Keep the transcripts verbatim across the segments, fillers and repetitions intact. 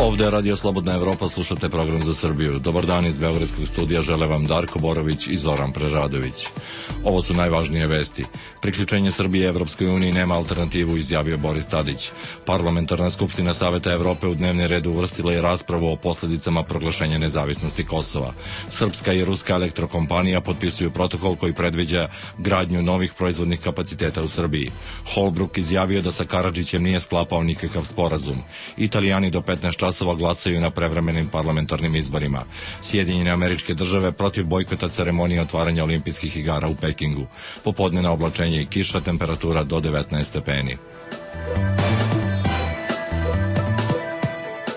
Ovde je Radio Slobodna Evropa, slušate program za Srbiju. Dobar dan iz Beogradskog studija, žele vam Darko Borović i Zoran Preradović. Ovo su najvažnije vesti. Priključenje Srbije Evropskoj uniji nema alternativu, izjavio Boris Tadić. Parlamentarna skupština Saveta Evrope u dnevni red uvrstila je raspravu o posledicama proglašenja nezavisnosti Kosova. Srpska i ruska elektrokompanija potpisuju protokol koji predviđa gradnju novih proizvodnih kapaciteta u Srbiji. Holbruk izjavio da sa Karadžićem nije sklapao nikakav sporazum. Italijani do petnaest časova glasaju na prevremenim parlamentarnim izborima. Sjedinjene Američke Države protiv bojkota ceremonije otvaranja olimpijskih igara u Pekingu. Popodnevno oblačenje i kiša, temperatura do devetnaest stepeni.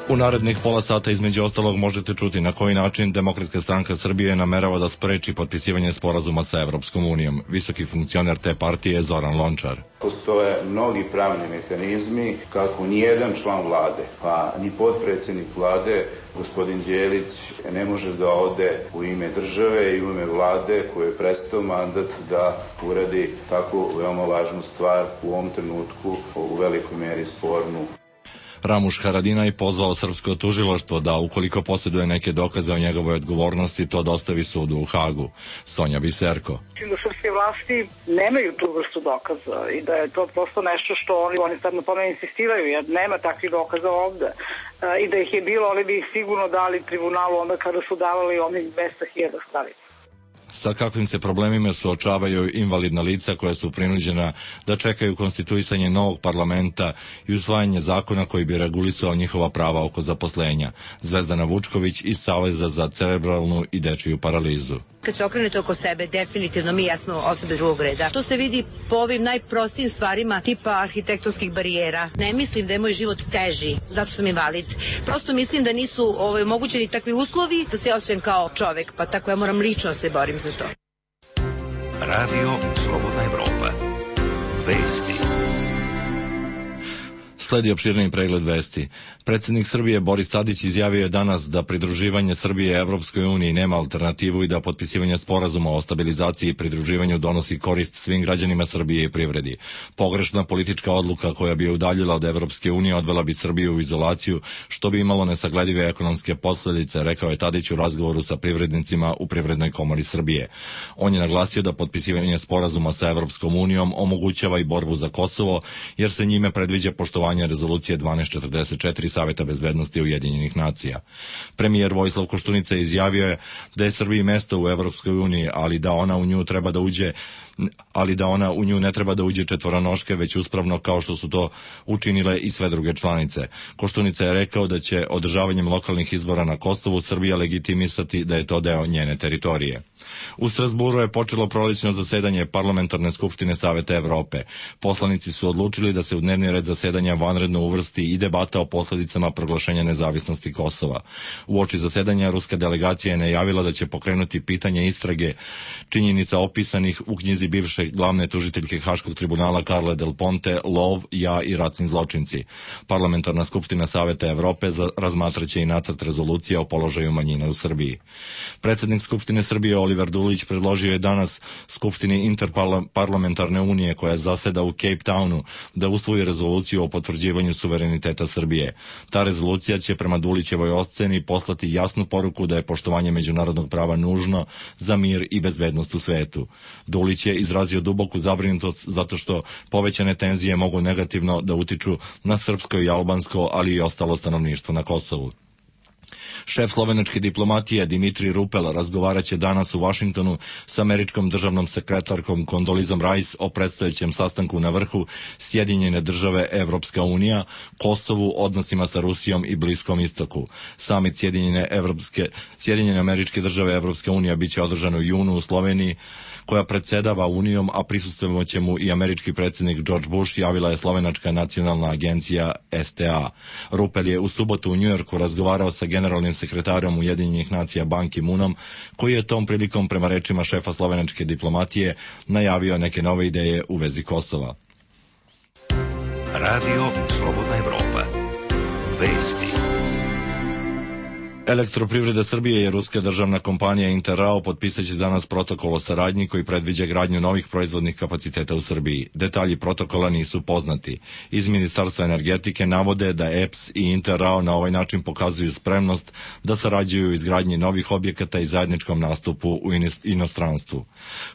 U narednih pola sata između ostalog možete čuti na koji način Demokratska stranka Srbije namerava da spreči potpisivanje sporazuma sa Evropskom unijom. Visoki funkcioner te partije Zoran Lončar. Postoje mnogi pravni mehanizmi kako nijedan član vlade, pa ni potpredsjednik vlade, gospodin Đelić, ne može da ode u ime države i u ime vlade koje je prestao mandat da uradi tako veoma važnu stvar u ovom trenutku, u velikoj meri spornu. Ramuš Haradinaj pozvao srpsko tužilaštvo da, ukoliko posjeduje neke dokaze o njegovoj odgovornosti, to dostavi sudu u Hagu. Sonja Biserko. Mislim da srpske vlasti nemaju tu vrstu dokaza i da je to prosto nešto što oni, oni sad na tome insistiraju, jer nema takvih dokaza ovde. E, I da ih je bilo, oni bi ih sigurno dali tribunalu onda kada su davali onih dvesta hiljada stranica. Sa kakvim se problemima suočavaju invalidna lica koja su prinuđena da čekaju konstituisanje novog parlamenta i usvajanje zakona koji bi regulisao njihova prava oko zaposlenja. Zvezdana Vučković iz Saveza za cerebralnu i dečiju paralizu. Kad se okrenete oko sebe, definitivno mi jesmo osobe drugog reda. To se vidi po ovim najprostijim stvarima tipa arhitektonskih barijera. Ne mislim da je moj život teži, zato sam invalid. Prosto mislim da nisu ovaj, mogućeni takvi uslovi da se osjećam kao čovek, pa tako ja moram lično se borim za to. Radio Slobodna Evropa. Vesti. Sledi opširniji pregled vesti. Predsjednik Srbije Boris Tadić izjavio je danas da pridruživanje Srbije Evropskoj uniji nema alternativu i da potpisivanje sporazuma o stabilizaciji i pridruživanju donosi korist svim građanima Srbije i privredi. Pogrešna politička odluka koja bi je udaljila od Evropske unije odvela bi Srbiju u izolaciju, što bi imalo nesagledive ekonomske posledice, rekao je Tadić u razgovoru sa privrednicima u Privrednoj komori Srbije. On je naglasio da potpisivanje sporazuma sa Evropskom unijom omogućava i borbu za Kosovo, jer se njime predviđa poštovanje rezolucije dvanaest četrdeset četiri Saveta bezbednosti Ujedinjenih nacija. Premijer Vojislav Koštunica izjavio je da je Srbiji mesto u Evropskoj uniji, ali da ona u nju treba da uđe ali da ona u nju ne treba da uđe četvoronoške, već uspravno kao što su to učinile i sve druge članice. Koštunica je rekao da će održavanjem lokalnih izbora na Kosovu Srbija legitimisati da je to deo njene teritorije. U Strasburu je počelo prolećno zasedanje Parlamentarne skupštine Saveta Evrope. Poslanici su odlučili da se u dnevni red zasedanja vanredno uvrsti i debata o posledicama proglašenja nezavisnosti Kosova. Uoči zasedanja ruska delegacija je najavila da će pokrenuti pitanje istrage činjenica opisanih u knjizi bivše glavne tužiteljke Haškog tribunala Carle Del Ponte, Lov, ja i ratni zločinci. Parlamentarna skupština Saveta Evrope razmatraće i nacrt rezolucije o položaju manjina u Srbiji. Predsednik Skupštine Srbije Oliver Dulić predložio je danas Skupštini Interparlamentarne unije koja zaseda u Cape Townu da usvoji rezoluciju o potvrđivanju suvereniteta Srbije. Ta rezolucija će prema Dulićevoj oceni poslati jasnu poruku da je poštovanje međunarodnog prava nužno za mir i bezbednost u svetu. Dulić je izrazio duboku zabrinutost zato što povećane tenzije mogu negativno da utiču na srpsko i albansko, ali i ostalo stanovništvo na Kosovu. Šef slovenačke diplomatije Dimitri Rupel razgovaraće danas u Vašingtonu s američkom državnom sekretarkom Kondolizom Rice o predstojećem sastanku na vrhu Sjedinjene države Evropska unija, Kosovu, odnosima sa Rusijom i Bliskom istoku. Samit Sjedinjene, Evropske, Sjedinjene američke države Evropska unija biće održan u junu u Sloveniji, koja predsedava Unijom, a prisustvovaće mu i američki predsjednik George Bush, javila je slovenačka nacionalna agencija S T A. Rupel je u subotu u Njujorku razgovarao sa generalnim sekretarom Ujedinjenih nacija Ban Ki-moonom, koji je tom prilikom, prema rečima šefa slovenačke diplomatije, najavio neke nove ideje u vezi Kosova. Radio Slobodna Evropa. Vesti. Elektroprivreda Srbije i ruska državna kompanija Interrao potpisat će danas protokol o saradnji koji predviđa gradnju novih proizvodnih kapaciteta u Srbiji. Detalji protokola nisu poznati. Iz Ministarstva energetike navode da E P S i Interrao na ovaj način pokazuju spremnost da sarađuju u izgradnji novih objekata i zajedničkom nastupu u inostranstvu.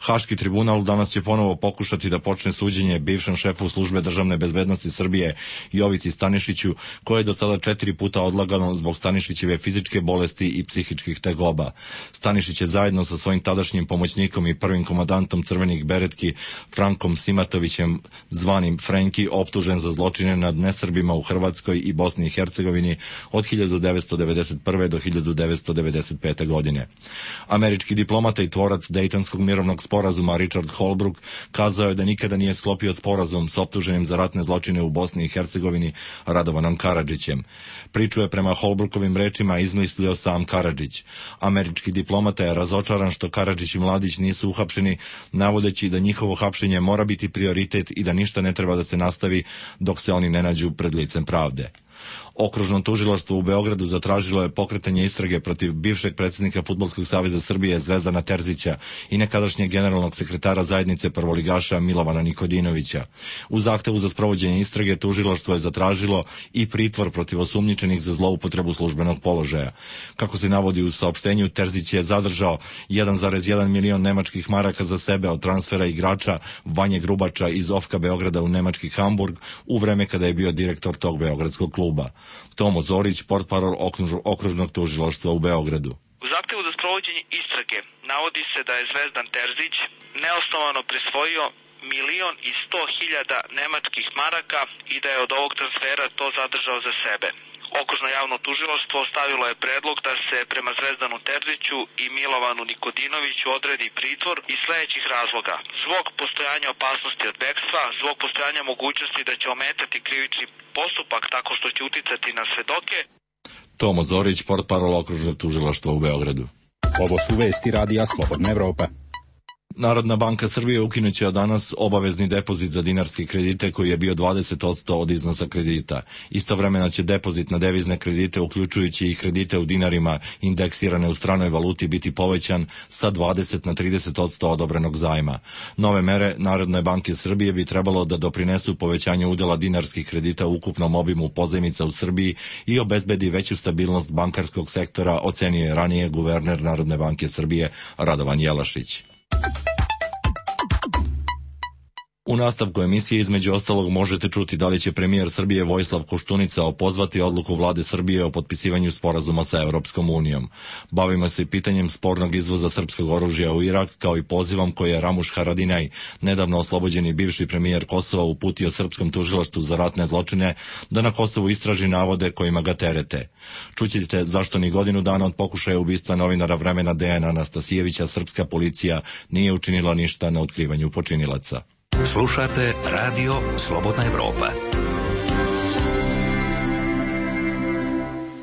Haški tribunal danas će ponovo pokušati da počne suđenje bivšem šefu službe državne bezbednosti Srbije Jovici Stanišiću, koje je do sada četiri puta odlagano zbog Stanišićeve fizičke bolesti i psihičkih tegoba. Stanišić je zajedno sa svojim tadašnjim pomoćnikom i prvim komandantom Crvenih beretki Frankom Simatovićem, zvanim Frenki, optužen za zločine nad nesrbima u Hrvatskoj i Bosni i Hercegovini od hiljadu devetsto devedeset prve do hiljadu devetsto devedeset pete. godine. Američki diplomata i tvorac Dejtonskog mirovnog sporazuma Richard Holbrooke kazao je da nikada nije sklopio sporazum s optuženim za ratne zločine u Bosni i Hercegovini Radovanom Karadžićem. Priču je prema Holbrookovim rečima izmislio sam Karadžić. Američki diplomata je razočaran što Karadžić i Mladić nisu uhapšeni, navodeći da njihovo hapšenje mora biti prioritet i da ništa ne treba da se nastavi dok se oni ne nađu pred licem pravde. Okružno tužilaštvo u Beogradu zatražilo je pokretanje istrage protiv bivšeg predsjednika Fudbalskog saveza Srbije Zvezdana Terzića i nekadašnjeg generalnog sekretara zajednice prvoligaša Milovana Nikodinovića. U zahtevu za sprovođenje istrage tužilaštvo je zatražilo i pritvor protiv osumnjičenih za zloupotrebu službenog položaja. Kako se navodi u saopštenju, Terzić je zadržao jedan zarez jedan milion nemačkih maraka za sebe od transfera igrača Vanje Grubača iz Ofka Beograda u nemački Hamburg u vreme kada je bio direktor tog beogradskog kluba. Tomo Zorić, portparol okružnog tužilaštva u Beogradu. U zahtevu za sprovođenje istrage navodi se da je Zvezdan Terzić neosnovano prisvojio milion i sto hiljada nemačkih maraka i da je od ovog transfera to zadržao za sebe. Okružno javno tužilaštvo stavilo je predlog da se prema Zvezdanu Terziću i Milovanu Nikodinoviću odredi pritvor iz sledećih razloga. Zbog postojanja opasnosti od bekstva, zbog postojanja mogućnosti da će ometati krivični postupak tako što će uticati na svedoke. Tomo Zorić, portparol okružnog tužilaštva u Beogradu. Ovo su vesti Radija Slobodna Evropa. Narodna banka Srbije ukinuće od danas obavezni depozit za dinarske kredite koji je bio dvadeset posto od iznosa kredita. Istovremeno će depozit na devizne kredite, uključujući i kredite u dinarima indeksirane u stranoj valuti, biti povećan sa dvadeset na trideset posto odobrenog zajma. Nove mere Narodne banke Srbije bi trebalo da doprinesu povećanju udela dinarskih kredita u ukupnom obimu pozajmica u Srbiji i obezbedi veću stabilnost bankarskog sektora, ocenio je ranije guverner Narodne banke Srbije Radovan Jelašić. U nastavku emisije između ostalog možete čuti da li će premijer Srbije Vojislav Koštunica opozvati odluku vlade Srbije o potpisivanju sporazuma sa Evropskom unijom. Bavimo se i pitanjem spornog izvoza srpskog oružja u Irak, kao i pozivom koji je Ramuš Haradinaj, nedavno oslobođeni bivši premijer Kosova, uputio srpskom tužilaštvu za ratne zločine da na Kosovu istraži navode kojima ga terete. Čućete zašto ni godinu dana od pokušaja ubistva novinara Vremena Dejana Anastasijevića srpska policija nije učinila ništa na otkrivanju počinilaca. Slušate Radio Slobodna Evropa.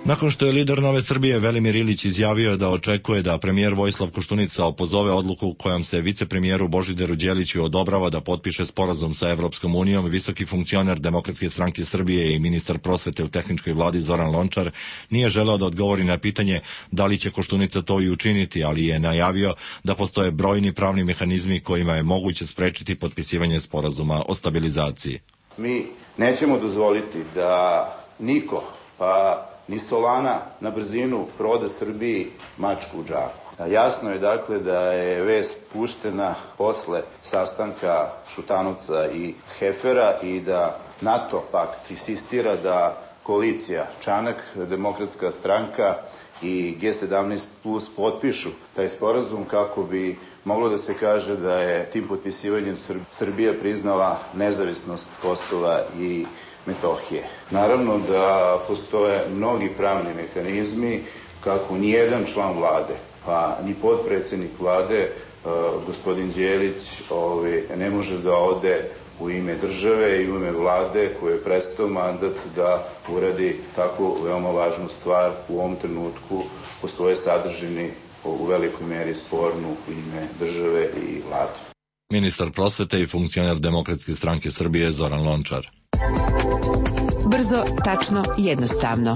Nakon što je lider Nove Srbije Velimir Ilić izjavio da očekuje da premijer Vojislav Koštunica opozove odluku kojom se vicepremijeru Božidaru Đeliću odobrava da potpiše sporazum sa Evropskom unijom, visoki funkcioner Demokratske stranke Srbije i ministar prosvete u tehničkoj vladi Zoran Lončar nije želeo da odgovori na pitanje da li će Koštunica to i učiniti, ali je najavio da postoje brojni pravni mehanizmi kojima je moguće sprečiti potpisivanje sporazuma o stabilizaciji. Mi nećemo dozvoliti da niko, pa ni Solana na brzinu proda Srbiji mačku u džaku. Jasno je dakle da je vest puštena posle sastanka Šutanovca i Hefera i da NATO pakt insistira da koalicija Čanak, Demokratska stranka i G sedamnaest plus potpišu taj sporazum kako bi moglo da se kaže da je tim potpisivanjem Srbija priznala nezavisnost Kosova i Metohije. Naravno da postoje mnogi pravni mehanizmi kako nijedan član vlade, pa ni potpredsednik vlade, gospodin Đelić, ne može da ode u ime države i u ime vlade koje je prestao mandat da uradi tako veoma važnu stvar u ovom trenutku po svojoj sadržini u velikoj meri spornu u ime države i vlade. Ministar prosvete i funkcioner Demokratske stranke Srbije Zoran Lončar. Brzo, tačno, jednostavno.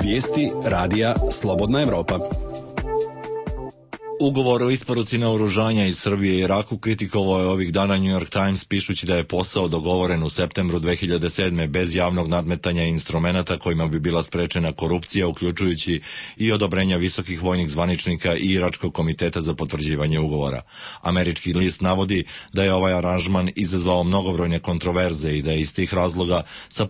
Vijesti radija Slobodna Evropa. Ugovor o isporuci naoružanja iz Srbije i Iraku kritikovao je ovih dana New York Times, pišući da je posao dogovoren u septembru dve hiljade sedme bez javnog nadmetanja i instrumenata kojima bi bila sprečena korupcija, uključujući i odobrenja visokih vojnih zvaničnika i Iračkog komiteta za potvrđivanje ugovora. Američki list navodi da je ovaj aranžman izazvao mnogobrojne kontroverze i da je iz tih razloga sa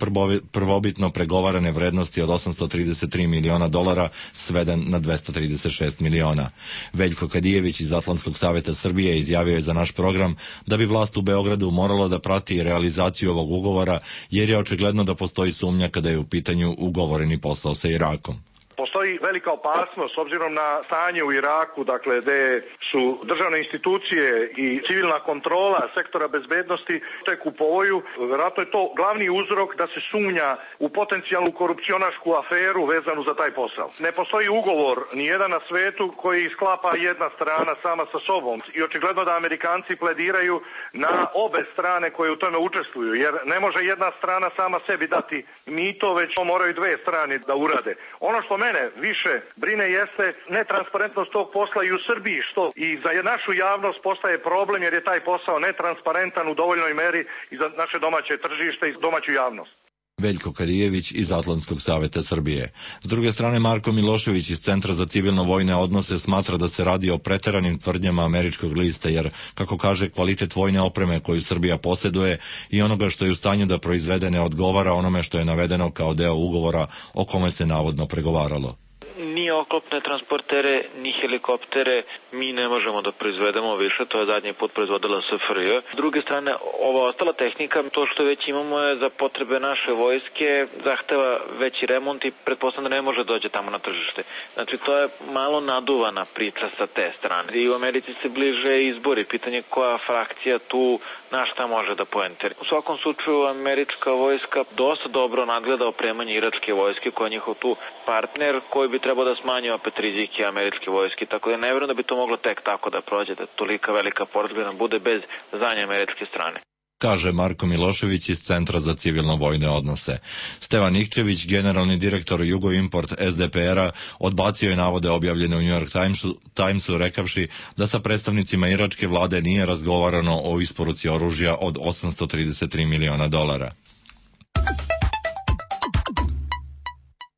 prvobitno pregovarane vrednosti od osamsto trideset tri miliona dolara sveden na dvesta trideset šest miliona. Veljko Kadijević iz Atlantskog saveta Srbije izjavio je za naš program da bi vlast u Beogradu morala da prati realizaciju ovog ugovora, jer je očigledno da postoji sumnja kada je u pitanju ugovoreni posao sa Irakom. Postoji velika opasnost s obzirom na stanje u Iraku, dakle, gde su državne institucije i civilna kontrola sektora bezbednosti tek u povoju. Vjerojatno je to glavni uzrok da se sumnja u potencijalnu korupcionašku aferu vezanu za taj posao. Ne postoji ugovor nijedan na svetu koji sklapa jedna strana sama sa sobom i očigledno da Amerikanci plediraju na obe strane koje u tome učestvuju, jer ne može jedna strana sama sebi dati mito, već to moraju dve strane da urade. Ono što mene više brine jeste netransparentnost tog posla i u Srbiji, što i za našu javnost postaje problem jer je taj posao netransparentan u dovoljnoj meri i za naše domaće tržište i domaću javnost. Veljko Kadijević iz Atlantskog saveta Srbije. S druge strane, Marko Milošević iz Centra za civilno-vojne odnose smatra da se radi o preteranim tvrdnjama američkog lista, jer, kako kaže, kvalitet vojne opreme koju Srbija posjeduje i onoga što je u stanju da proizvede ne odgovara onome što je navedeno kao deo ugovora o kome se navodno pregovaralo. Ni oklopne transportere, ni helikoptere mi ne možemo da proizvedemo više, to je zadnji put proizvodila S F R J. S druge strane, ova ostala tehnika, to što već imamo je za potrebe naše vojske, zahteva veći remont i pretpostavljam da ne može dođe tamo na tržište. Znači, to je malo naduvana priča sa te strane. I u Americi se bliže izbori, pitanje koja frakcija tu na šta može da poenteri. U svakom slučaju, američka vojska dosta dobro nadgleda opremanje iračke vojske, koja je njihov tu partner, koji bi trebao da smanji opet rizike američke vojske, tako da ne vjerujem da bi to moglo tek tako da prođe, da tolika velika porodiljna bude bez zadnje američke strane. Kaže Marko Milošević iz Centra za civilno-vojne odnose. Stevan Nikčević, generalni direktor Jugoimport S D P R-a, odbacio je navode objavljene u New York Timesu, Timesu rekavši da sa predstavnicima iračke vlade nije razgovarano o isporuci oružja od osamsto trideset tri miliona dolara.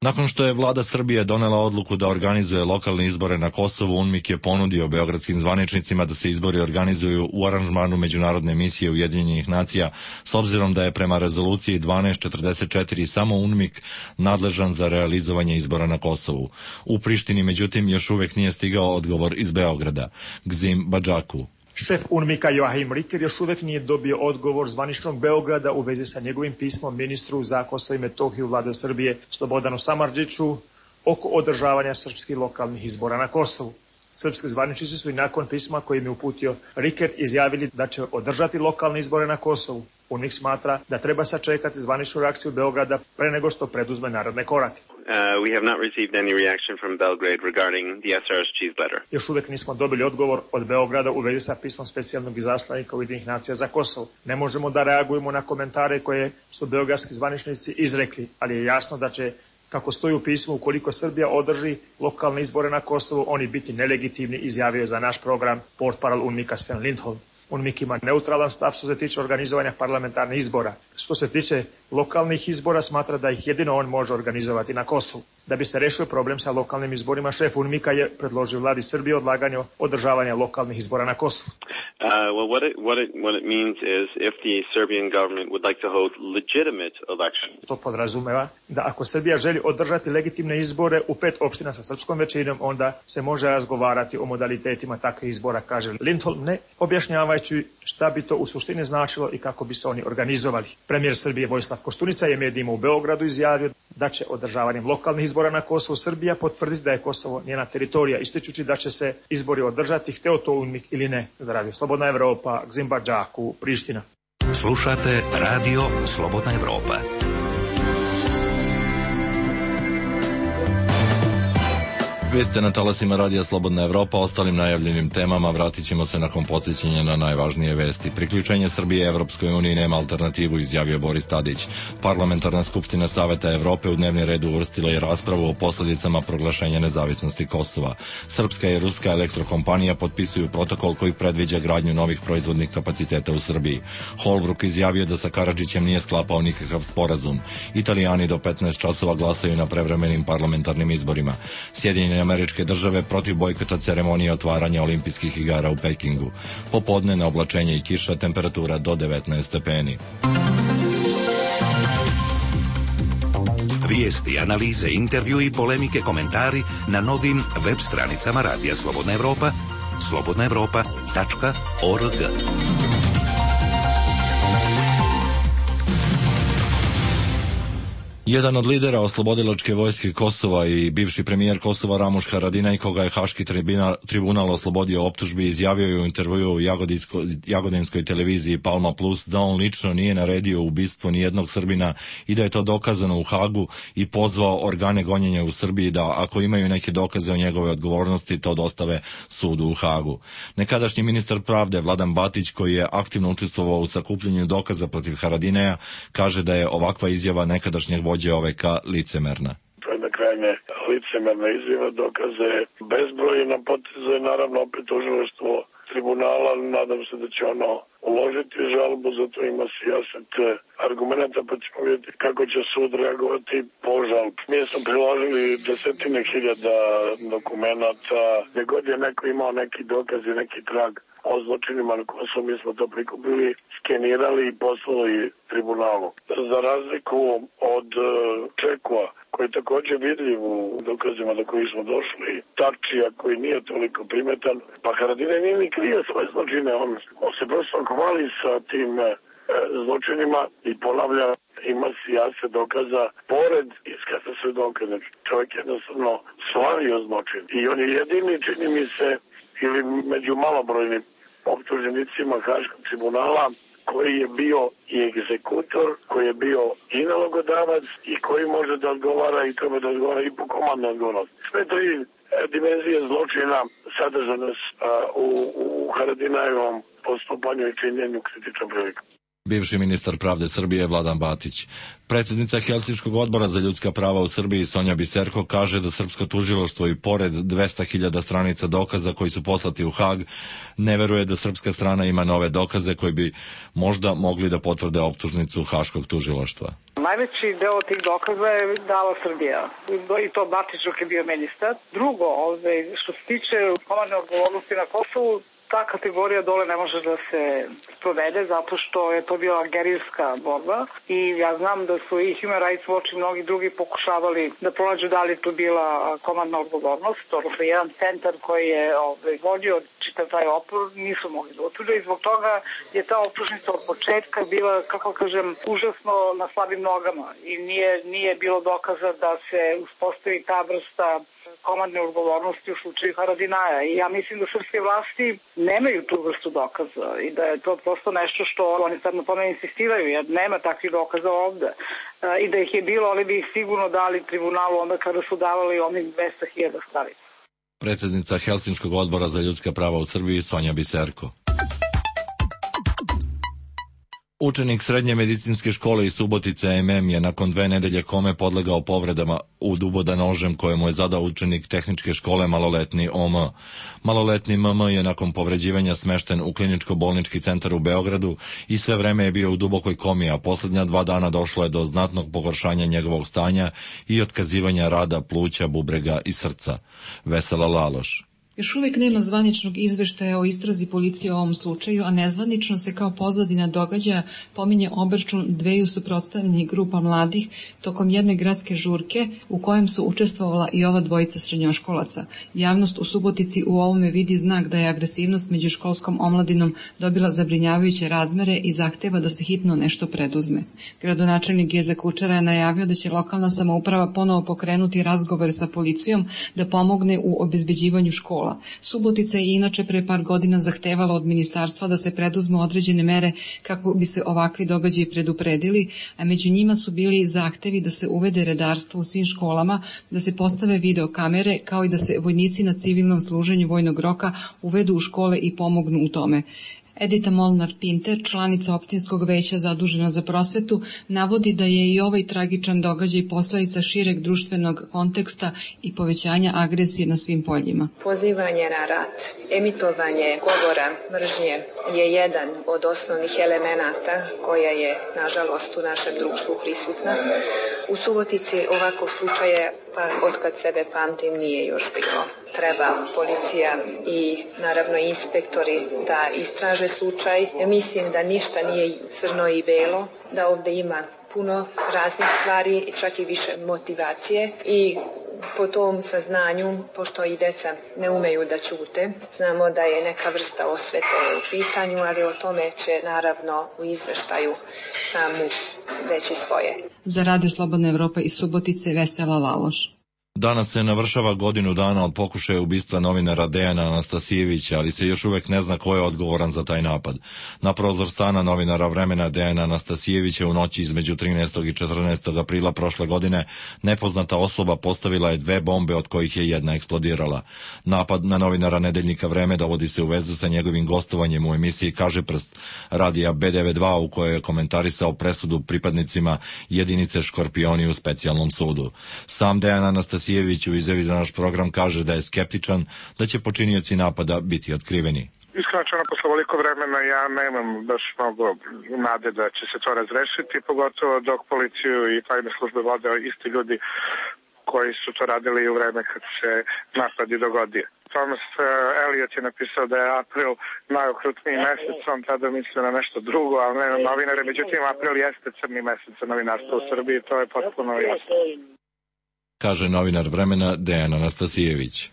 Nakon što je vlada Srbije donela odluku da organizuje lokalne izbore na Kosovu, UNMIK je ponudio beogradskim zvaničnicima da se izbori organizuju u aranžmanu međunarodne misije Ujedinjenih nacija, s obzirom da je prema rezoluciji dvanaest četrdeset četiri samo UNMIK nadležan za realizovanje izbora na Kosovu. U Prištini, međutim, još uvek nije stigao odgovor iz Beograda. Gzim Badžaku. Šef UNMIK-a Joachim Ricker još uvek nije dobio odgovor zvaničnog Beograda u vezi sa njegovim pismom ministru za Kosovo i Metohiju vlade Srbije Slobodanu Samardžiću oko održavanja srpskih lokalnih izbora na Kosovu. Srpski zvaničnici su i nakon pisma kojim je uputio Ricker izjavili da će održati lokalne izbore na Kosovu. UNMIK smatra da treba sačekati zvaničnu reakciju Beograda pre nego što preduzme naredne korake. Uh, we have not received any reaction from Belgrade regarding the S R S cheese letter. Još uvek nismo dobili odgovor od Beograda u vezi sa pismom specijalnog izaslanika Ujedinjenih nacija za Kosovo. Ne možemo da reagujemo na komentare koje su beogradski zvaničnici izrekli, ali je jasno da će, kako stoji u pismu, ukoliko Srbija održi lokalne izbore na Kosovu, oni biti nelegitimni, izjavio je za naš program portparol UNMIK-a Sven Lindholm. UNMIK ima neutralan stav što se tiče organizovanja parlamentarnih izbora. Što se tiče lokalnih izbora, smatra da ih jedino on može organizovati na Kosovu. Da bi se rešio problem sa lokalnim izborima, šef UNMIK-a je predložio vladi Srbije odlaganje održavanja lokalnih izbora na Kosovu. Uh, well, what it, what it, what it means is if the Serbian government would like to hold legitimate elections. To podrazumeva da ako Srbija želi održati legitimne izbore u pet opština sa srpskom većinom, onda se može razgovarati o modalitetima takvih izbora, kaže Lindholm, ne objašnjavajući šta bi to u suštini značilo i kako bi se oni organizovali. Premijer Srbije Vojislav Koštunica je medijima u Beogradu izjavio da će održavanjem lokalnih izbora na Kosovu Srbija potvrditi da je Kosovo njena teritorija, ističući da će se izbori održati, hteo to UNMIK ili ne. Za Radio Slobodna Evropa, Gzim Badžaku, Priština. Slušate Radio Slobodna Evropa. Vi ste na talasima Radija Slobodna Evropa. Ostalim najavljenim temama vratit ćemo se nakon podsjećanja na najvažnije vesti. Priključenje Srbije Evropskoj uniji nema alternativu, izjavio Boris Tadić. Parlamentarna skupština Saveta Evrope u dnevni red uvrstila je raspravu o posljedicama proglašenja nezavisnosti Kosova. Srpska i ruska elektrokompanija potpisuju protokol koji predviđa gradnju novih proizvodnih kapaciteta u Srbiji. Holbruk izjavio da sa Karadžićem nije sklapao nikakav sporazum. Italijani do petnaest časova glasaju na prevremenim parlamentarnim izborima. Sjedinjene Američke države protiv bojkota ceremonije otvaranja olimpijskih igara u Pekingu. Popodne na oblačenje i kiša, temperatura do devetnaest stepeni. Vijesti, analize, intervju i polemike, komentari na novim web stranicama Radija Slobodna Evropa, slobodna evropa tačka org. Jedan od lidera oslobodilačke vojske Kosova i bivši premijer Kosova Ramuš Haradinaj, koga je Haški tribunal, tribunal oslobodio optužbi, izjavio je u intervjuu u jagodinskoj televiziji Palma Plus da on lično nije naredio ubistvo nijednog Srbina i da je to dokazano u Hagu i pozvao organe gonjenja u Srbiji da ako imaju neke dokaze o njegove odgovornosti to dostave sudu u Hagu. Nekadašnji ministar pravde Vladan Batić, koji je aktivno učestvovao u sakupljanju dokaza protiv Haradinaja, kaže da je ovakva izjava nekadašnjeg vođe O V K licemerna. To je na krajnje licemerna izjava, dokaze bezbroj na potezu je naravno opet tužilaštvo tribunala, nadam se da će ono uložiti žalbu, zato ima sijaset argumenta, pa ćemo vidjeti kako će sud reagovati po žalbi. Mi smo priložili desetine hiljada dokumenata, gdje god je neko imao neki dokaz i neki trag o zločinima na Kosovu, mi smo to prikupili, skenirali i poslali tribunalu. Za razliku od Čekova, koji je također vidljiv u dokazima do kojih smo došli, Tačija koji nije toliko primetan, pa Haradinaj nije ni krio svoje zločine, on, on se prosto hvali sa tim e, zločinima i ponavlja, ima sijase dokaza, pored iskaza sve dokaze. Čovjek jednostavno slavio zločin i on je jedini, čini mi se, ili među malobrojnim optuženicima Haškog tribunala koji je bio i egzekutor, koji je bio i nalogodavac i koji može da odgovara i treba da odgovara i po komandnoj odgovornosti. Sve tri dimenzije zločina sadržane u, u Haradinajevom postupanju i činjenju kritičnom prilikom. Bivši ministar pravde Srbije Vladan Batić. Predsjednica Helsinškog odbora za ljudska prava u Srbiji Sonja Biserko kaže da srpsko tužilaštvo i pored dvesta hiljada stranica dokaza koji su poslati u Hag ne veruje da srpska strana ima nove dokaze koji bi možda mogli da potvrde optužnicu Haškog tužilaštva. Najveći deo tih dokaza je dala Srbija i to Batić dok je bio ministar. Drugo, ovdje, što se tiče komandne odgovornosti na Kosovu, ta kategorija dole ne može da se sprovede zato što je to bila gerilska borba i ja znam da su i Human Rights Watch i mnogi drugi pokušavali da pronađu da li je tu bila komandna odgovornost, odnosno jedan centar koji je ovaj, vodio čitav taj opor, nisu mogli da utvrde i zbog toga je ta optužnica od početka bila, kako kažem, užasno na slabim nogama i nije, nije bilo dokaza da se uspostavi ta vrsta komandne odgovornosti u slučaju Haradinaja i ja mislim da srpske vlasti nemaju tu vrstu dokaza i da je to prosto nešto što oni sad na tome insistiraju jer nema takvih dokaza ovde i da ih je bilo, ali bi ih sigurno dali tribunalu onda kada su davali onih dvesta hiljada stranica. Predsjednica Helsinškog odbora za ljudska prava u Srbiji Sonja Biserko. Učenik srednje medicinske škole iz Subotice M M je nakon dve nedelje kome podlegao povredama u duboda nožem koje mu je zadao učenik tehničke škole maloletni O M. Maloletni M M je nakon povređivanja smešten u kliničko-bolnički centar u Beogradu i sve vreme je bio u dubokoj komi, a posljednja dva dana došlo je do znatnog pogoršanja njegovog stanja i otkazivanja rada pluća, bubrega i srca. Vesela Laloš. Još uvijek nema zvaničnog izveštaja o istrazi policije o ovom slučaju, a nezvanično se kao pozadina događaja pominje obračun dveju suprotstavljenih grupa mladih tokom jedne gradske žurke u kojem su učestvovala i ova dvojica srednjoškolaca. Javnost u Subotici u ovome vidi znak da je agresivnost među školskom omladinom dobila zabrinjavajuće razmere i zahteva da se hitno nešto preduzme. Gradonačelnik Geza Kučera je najavio da će lokalna samouprava ponovo pokrenuti razgovore sa policijom da pomogne u obezbeđivanju škola. škola. Subotica je inače pre par godina zahtevala od ministarstva da se preduzmu određene mere kako bi se ovakvi događaji predupredili, a među njima su bili zahtevi da se uvede redarstvo u svim školama, da se postave videokamere, kao i da se vojnici na civilnom služenju vojnog roka uvedu u škole i pomognu u tome. Edita Molnar-Pinter, članica opštinskog veća zadužena za prosvetu, navodi da je i ovaj tragičan događaj posledica šireg društvenog konteksta i povećanja agresije na svim poljima. Pozivanje na rat, emitovanje govora mržnje je jedan od osnovnih elemenata koja je, nažalost, u našem društvu prisutna. U Subotici ovakvog slučaja, pa od kad sebe pamtim, nije još bilo. Treba policija i naravno inspektori da istraže slučaj. Mislim da ništa nije crno i belo, da ovde ima puno raznih stvari, čak i više motivacije i po tom saznanju, pošto i deca ne umeju da ćute, znamo da je neka vrsta osvete u pitanju, ali o tome će naravno u izveštaju samu reći svoje. Za Radio Slobodna Evropa iz Subotice, Vesela Laloš. Danas se navršava godinu dana od pokušaja ubistva novinara Dejana Anastasijevića, ali se još uvek ne zna ko je odgovoran za taj napad. Na prozor stana novinara Vremena Dejana Anastasijevića u noći između trinaestog i četrnaestog aprila prošle godine nepoznata osoba postavila je dve bombe, od kojih je jedna eksplodirala. Napad na novinara Nedeljnika Vreme dovodi se u vezu sa njegovim gostovanjem u emisiji Kažeprst radija B devedeset dva, u kojoj je komentarisao presudu pripadnicima jedinice Škorpioni u specijalnom sudu. Sam Dejan Anastasijević Sijević u izjavi za naš program kaže da je skeptičan da će počinioci napada biti otkriveni. Iskreno, posle ovoliko vremena ja nemam baš mnogo nade da će se to razrešiti, pogotovo dok policiju i tajne službe vode isti ljudi koji su to radili i u vreme kad se napad i dogodio. Thomas Elliot je napisao da je april najokrutniji mesec, on tada mislio na nešto drugo, ali ne na novinare, međutim april jeste crni mesec za novinarstvo u Srbiji, to je potpuno jasno. Kaže novinar Vremena Dejan Anastasijević.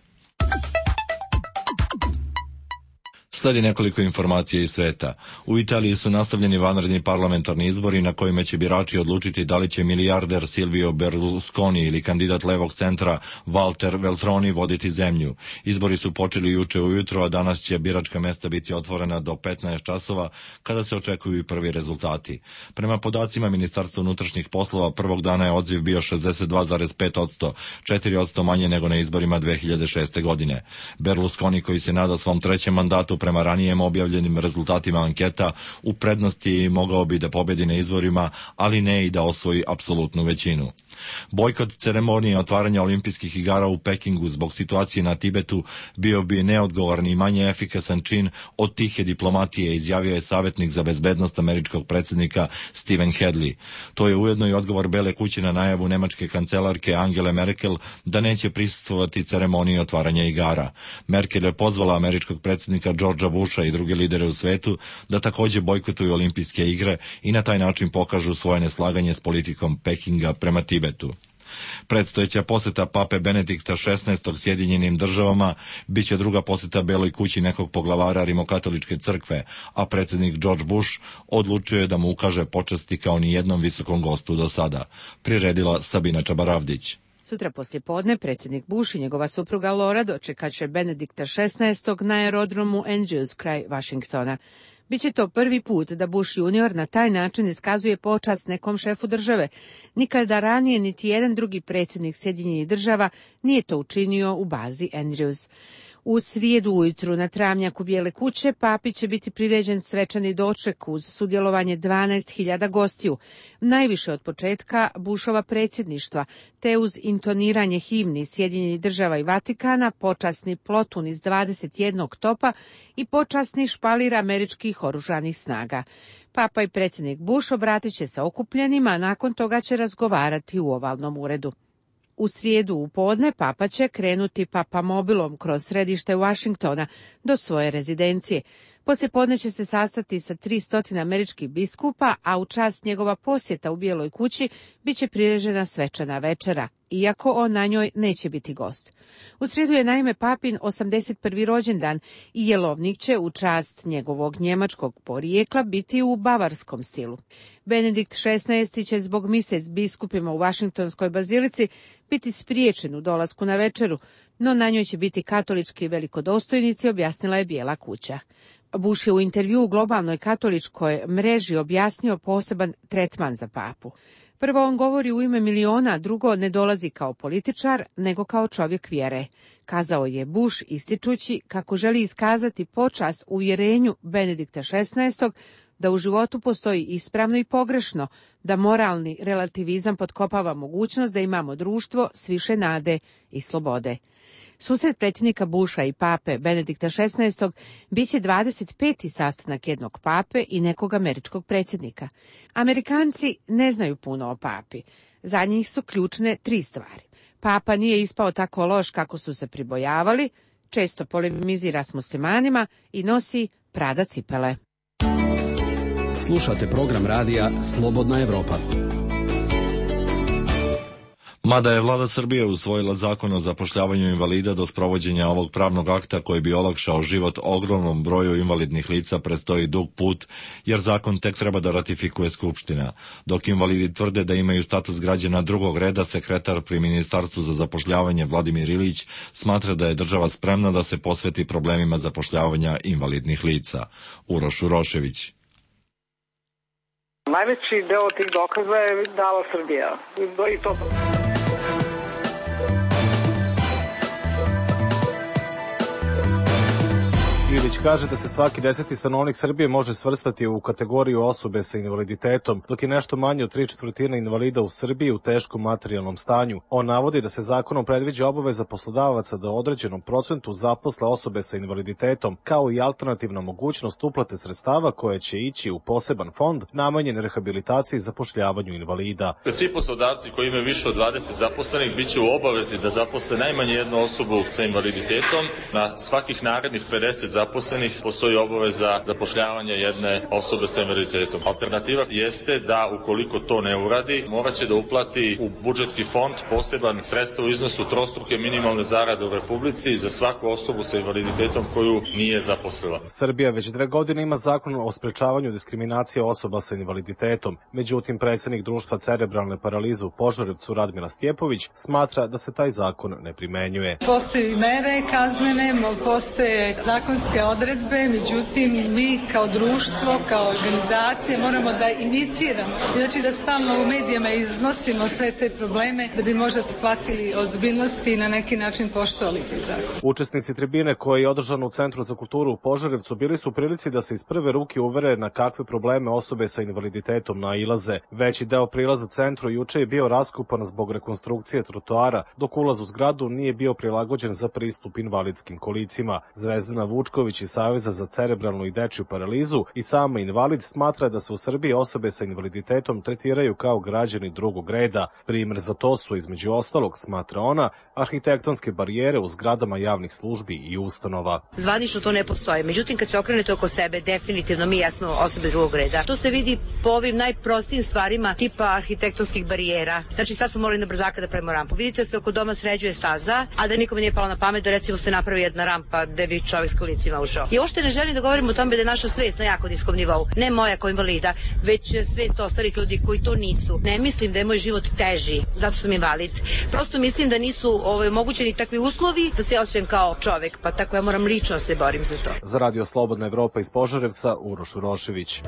Sledi nekoliko informacija iz sveta. U Italiji su nastavljeni vanredni parlamentarni izbori na kojima će birači odlučiti da li će milijarder Silvio Berlusconi ili kandidat levog centra Walter Veltroni voditi zemlju. Izbori su počeli juče ujutro, a danas će biračka mesta biti otvorena do petnaest časova, kada se očekuju i prvi rezultati. Prema podacima Ministarstva unutrašnjih poslova, prvog dana je odziv bio šezdeset dva zarez pet posto, četiri posto manje nego na izborima dve hiljade šeste. godine. Berlusconi, koji se nada svom trećem mandatu prema ranijem objavljenim rezultatima anketa, u prednosti mogao bi da pobedi na izborima, ali ne i da osvoji apsolutnu većinu. Bojkot ceremonije otvaranja olimpijskih igara u Pekingu zbog situacije na Tibetu bio bi neodgovorni i manje efikasan čin od tihe diplomatije, izjavio je savjetnik za bezbednost američkog predsjednika Stephen Hadley. To je ujedno i odgovor Bele kuće na najavu nemačke kancelarke Angele Merkel da neće prisustvovati ceremoniji otvaranja igara. Merkel je pozvala američkog predsjednika Georgea Busha i druge lidere u svetu da takođe bojkotuju olimpijske igre i na taj način pokažu svoje neslaganje s politikom Pekinga prema Tibetu. Predstojeća poseta pape Benedikta šesnaestog Sjedinjenim državama biće druga poseta Beloj kući nekog poglavara rimokatoličke crkve, a predsjednik George Bush odlučio je da mu ukaže počasti kao ni jednom visokom gostu do sada, priredila Sabina Čabaravdić. Sutra poslje podne predsjednik Bush i njegova supruga Laura dočekaće Benedikta šesnaestog na aerodromu Andrews kraj Vašingtona. Biće to prvi put da Bush junior na taj način iskazuje počast nekom šefu države. Nikada ranije niti jedan drugi predsjednik Sjedinjenih država nije to učinio u bazi Andrews. U srijedu ujutru na travnjaku Bijele kuće papi će biti priređen svečani doček uz sudjelovanje dvanaest hiljada gostiju, najviše od početka Bushova predsjedništva, te uz intoniranje himni Sjedinjenih država i Vatikana, počasni plotun iz dvadeset jednog topa i počasni špalir američkih oružanih snaga. Papa i predsjednik Bush obratit će se okupljenima, a nakon toga će razgovarati u ovalnom uredu. U srijedu u podne papa će krenuti papamobilom kroz središte Washingtona do svoje rezidencije. Poslije podne će se sastati sa tristo američkih biskupa, a u čast njegova posjeta u Bijeloj kući bit će priređena svečana večera. iako on na njoj neće biti gost. U srijedu je naime papin osamdeset prvi rođendan i jelovnik će u čast njegovog njemačkog porijekla biti u bavarskom stilu. Benedikt šesnaesti će zbog mise s biskupima u Vašingtonskoj bazilici biti spriječen u dolasku na večeru, no na njoj će biti katolički velikodostojnici, objasnila je Bijela kuća. Bush je u intervju u globalnoj katoličkoj mreži objasnio poseban tretman za papu. Prvo, on govori u ime miliona, drugo, ne dolazi kao političar, nego kao čovjek vjere. Kazao je Bush ističući kako želi iskazati počast uvjerenju Benedikta šesnaestog da u životu postoji ispravno i pogrešno, da moralni relativizam potkopava mogućnost da imamo društvo s više nade i slobode. Susret predsjednika Busha i pape Benedikta šesnaestog bit će dvadeset peti sastanak jednog pape i nekog američkog predsjednika. Amerikanci ne znaju puno o papi. Za njih su ključne tri stvari. Papa nije ispao tako loš kako su se pribojavali, često polemizira s muslimanima i nosi Prada cipele. Slušate program radija Slobodna Evropa. Mada je vlada Srbije usvojila zakon o zapošljavanju invalida, do sprovođenja ovog pravnog akta koji bi olakšao život ogromnom broju invalidnih lica predstoji dug put, jer zakon tek treba da ratifikuje Skupština. Dok invalidi tvrde da imaju status građana drugog reda, sekretar pri Ministarstvu za zapošljavanje Vladimir Ilić smatra da je država spremna da se posveti problemima zapošljavanja invalidnih lica. Uroš Urošević. Najveći deo tih dokaza je dala Srbija. I to... Ilić kaže da se svaki deseti stanovnik Srbije može svrstati u kategoriju osobe sa invaliditetom, dok je nešto manje od tri četvrtine invalida u Srbiji u teškom materijalnom stanju. On navodi da se zakonom predviđa obaveza poslodavaca da određenom procentu zaposle osobe sa invaliditetom, kao i alternativna mogućnost uplate sredstava koje će ići u poseban fond namenjen rehabilitaciji i zapošljavanju invalida. Svi poslodavci koji imaju više od dvadeset zaposlenih biće u obavezi da zaposle najmanje jednu osobu sa invaliditetom. Na svakih narednih pedeset zaposlenih postoji obaveza zapošljavanja jedne osobe sa invaliditetom. Alternativa jeste da ukoliko to ne uradi, morat će da uplati u budžetski fond poseban sredstva u iznosu trostruke minimalne zarade u Republici za svaku osobu sa invaliditetom koju nije zaposlila. Srbija već dve godine ima zakon o sprečavanju diskriminacije osoba sa invaliditetom. Međutim, predsjednik društva cerebralne paralize u Požarevcu Radmila Stjepović smatra da se taj zakon ne primenjuje. Postoje mere kaznene, postoje zakonske odredbe, međutim mi kao društvo, kao organizacije moramo da iniciramo, znači da stalno u medijima iznosimo sve te probleme da bi možda shvatili ozbiljnosti i na neki način poštovali te zakon. Učesnici tribine koji je održana u Centru za kulturu u Požarevcu bili su u prilici da se iz prve ruke uvere na kakve probleme osobe sa invaliditetom nailaze. Veći deo prilaza centru juče je bio raskupan zbog rekonstrukcije trotoara, dok ulaz u zgradu nije bio prilagođen za pristup invalidskim kolicima. Zvezdana Vučković iz Saveza za cerebralnu i dečju paralizu i sama invalid smatra da se u Srbiji osobe sa invaliditetom tretiraju kao građani drugog reda. Primer za to su, između ostalog, smatra ona, arhitektonske barijere u zgradama javnih službi i ustanova. Zvanično to ne postoji, međutim kad se okrenete oko sebe, definitivno mi jesmo osobe drugog reda. To se vidi po ovim najprostijim stvarima tipa arhitektonskih barijera. Znači sad smo morali na brzaka da pravimo rampu. Vidite da se oko doma sređuje staza, a da nikome nije palo na pamet da recimo se napravi jedna rampa gde bi čovjek s kolicima ušao. I uopšte ne želim da govorim o tome da je naša svest na jako niskom nivou. Ne moja kao invalida, već svest ostalih ljudi koji to nisu. Ne mislim da je moj život teži, zato sam invalid. Prosto mislim da nisu ovaj, omogućeni takvi uslovi da se osjećam kao čovjek, pa tako ja moram lično se borim za to. Za Radio Slobodna Evropa iz Požarevca, Uroš Urošević.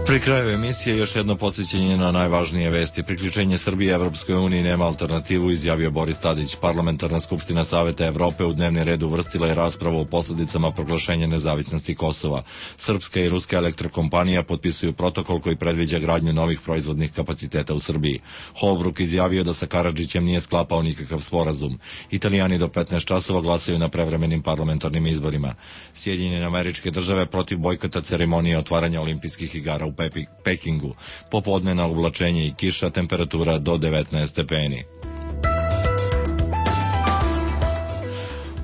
Pri kraju emisije još jedno podsjećanje na najvažnije vesti. Priključenje Srbije Evropskoj uniji nema alternativu, izjavio Boris Tadić. Parlamentarna skupština Saveta Evrope u dnevni red uvrstila je raspravu o posledicama proglašenja nezavisnosti Kosova. Srpska i ruska elektrokompanija potpisuju protokol koji predviđa gradnju novih proizvodnih kapaciteta u Srbiji. Holbruk izjavio da sa Karadžićem nije sklapao nikakav sporazum. Italijani do petnaest časova glasaju na prevremenim parlamentarnim izborima. Sjedinjene Američke Države protiv bojkota ceremonije otvaranja olimpijskih igara u Pekingu. Popodnevna oblačenje i kiša, temperatura do devetnaest stepeni.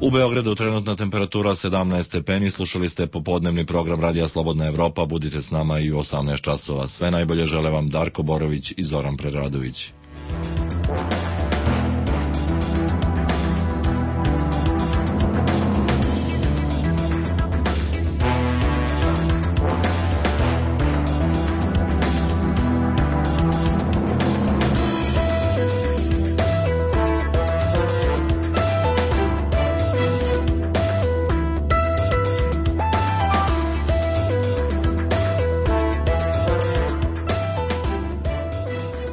U Beogradu trenutna temperatura sedamnaest stepeni, slušali ste popodnevni program Radija Slobodna Evropa, budite s nama i u osamnaest časova. Sve najbolje žele vam Darko Borović i Zoran Preradović.